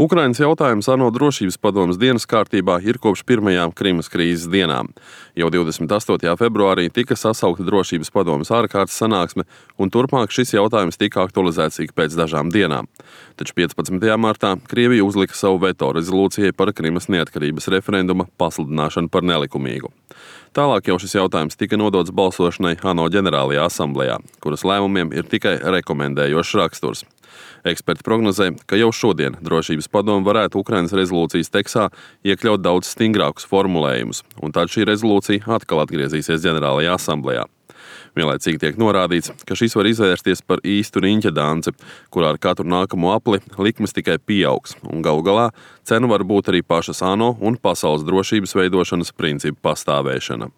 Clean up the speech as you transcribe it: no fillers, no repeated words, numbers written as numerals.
Ukrainas jautājums ANO drošības padomes dienas kārtībā ir kopš pirmajām Krimas krīzes dienām. Jau 28. februārī tika sasaukta drošības padomes ārkārtas sanāksme, un turpmāk šis jautājums tika aktualizēts ik pēc dažām dienām. Taču 15. martā Krievija uzlika savu veto rezolūcijai par Krimas neatkarības referenduma pasludināšanu par nelikumīgu. Tālāk jau šis jautājums tika nodots balsošanai ANO ģenerālajā asamblejā, kuras lēmumiem ir tikai rekomendējošs raksturs. Eksperti prognozē, ka jau šodien drošības padome varētu Ukrainas rezolūcijas tekstā iekļaut daudz stingrākus formulējumus, un tad šī rezolūcija atkal atgriezīsies ģenerālajā asamblejā. Vienlaicīgi tiek norādīts, ka šis var izvērsties par īstu riņķa danci, kurā ar katru nākamo apli likmes tikai pieaugs, un galu galā cenu var būt arī pašas ANO un pasaules drošības veidošanas principu pastāvēšana.